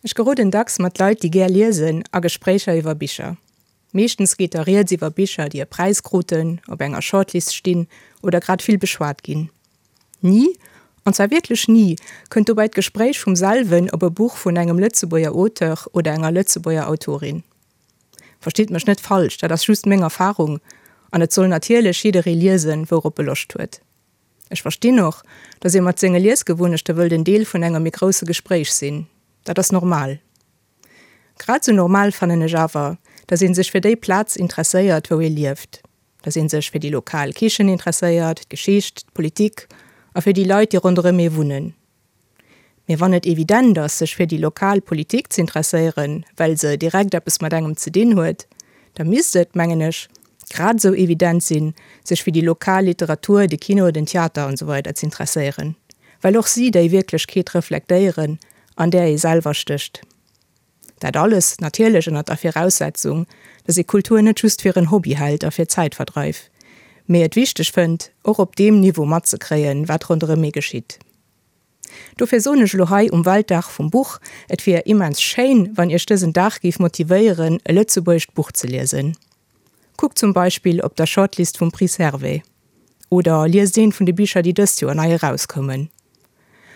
Ech geroden dacks mat Leit, déi gär liesen, a Gespréicher iwwer Bicher. Meeschtens geet da rieds iwwer Bicher, déi e Präis kruten, op enger Shortlist stinn oder grad vill beschwat ginn. Ni, an zwar wierklech ni, kënnt dobäi d'Gespréich vum selwen op e Buch vun engem Lëtzebuerger Auteur oder enger Lëtzebuerger Autorin. Verstitt mech net falsch, dat ass just meng Erfarung an et soll natierlech jidderee liesen, wourop e Loscht huet. Ech verstinn och, datt ee mat senge Liesgewunnechte wëllt en Deel vun engem méi grousse Gespréich sinn. Dat ass normal. Grad esou normal fannen ech awer, datt ee sech fir déi Plaz interesséiert, wou ee lieft. Datt ee sech fir déi lokal Kichen interesséiert, d'Geschicht, d'Politik a fir déi Leit, déi ronderëm ee wunnen. Mee wann et evident ass, sech fir déi lokal Politik z'interesséieren, well se direkt eppes mat engem ze dinn huet, da misst et, mengen ech, grad esou evident sinn, sech fir déi lokal Literatur, de Kino, den Theater an esou weider z'interesséieren, well och si déi Wierklechkeet reflektéieren, an där ee selwer stécht. Dat alles natierlech ënnert der Viraussetzung, dass ee Kultur net just fir en Hobby hält a fir Zäitverdreif, mee et wichteg fënnt, och op deem Niveau matzekréien, wat ronderëm ee geschitt. Dofir soen ech elo hei um Weltdag vum Buch, et wier immens schéin, wann Iech dësen Dag géif motivéieren, e lëtzebuergescht Buch ze liesen. Kuckt zum Beispill op der Shortlist vum Prix Servais. Oder liest eent vun de Bicher, déi dëst Joer nei erauskoumen.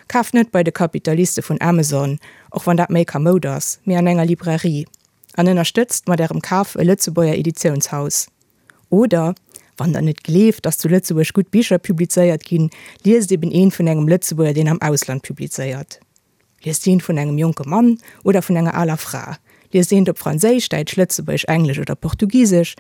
Kaaft net bei de Kapitaliste vun Amazon, och wann dat méi kamoud ass, mee an enger Librairie an ënnerstëtzt mat Ärem Kaf e Lëtzebuerger Editiounshaus. Oder, wann der net gleeft, dass zu Lëtzebuerg gutt Bicher publizéiert ginn, liest eben eent vun engem Lëtzebuerger, deen am Ausland publizéiert. Liest eent vun engem jonke Mann oder vun enger aler Fra. Liest eent op Franséisch, Däitsch, Lëtzebuergesch, Englesch oder Portugisesch.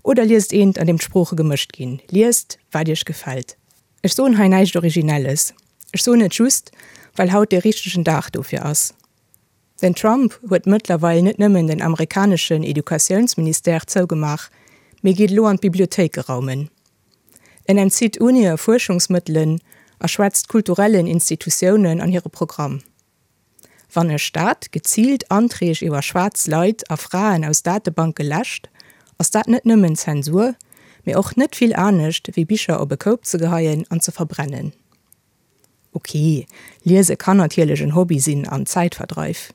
Oder liest eent, an deem d'Sprooche gemëscht ginn. Liest, wat iech gefält. Ech soen hei näischt Originelles. Ech soen et just, well haut dee richtegen Dag dofir ass. Den Trump huet mëttlerweil net nëmmen den amerikaneschen Educatiounsministère zougemaach, mee geet elo an d'Bibliothéike raumen. En entzitt Unie Fuerschungsmëttelen a schwätzt kulturellen Institutiounen an hire Programm. Wann e Staat geziilt Anträg iwwer schwaarz Leit a Fraen aus Datebanke läscht, ass dat net nëmmen Zensur, mee och net vill anescht wéi Bicher op e Koup ze geheien an ze verbrennen. Ok, liese kann natierlech en Hobby sinn an Zäitverdreif.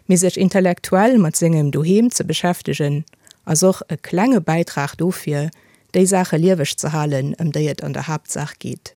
Mee sech intellektuell mat sengem Doheem ze beschäftegen, ass och e klenge Bäitrag dofir, déi Saache lieweg ze halen, ëm déi et an der Haaptsaach geet.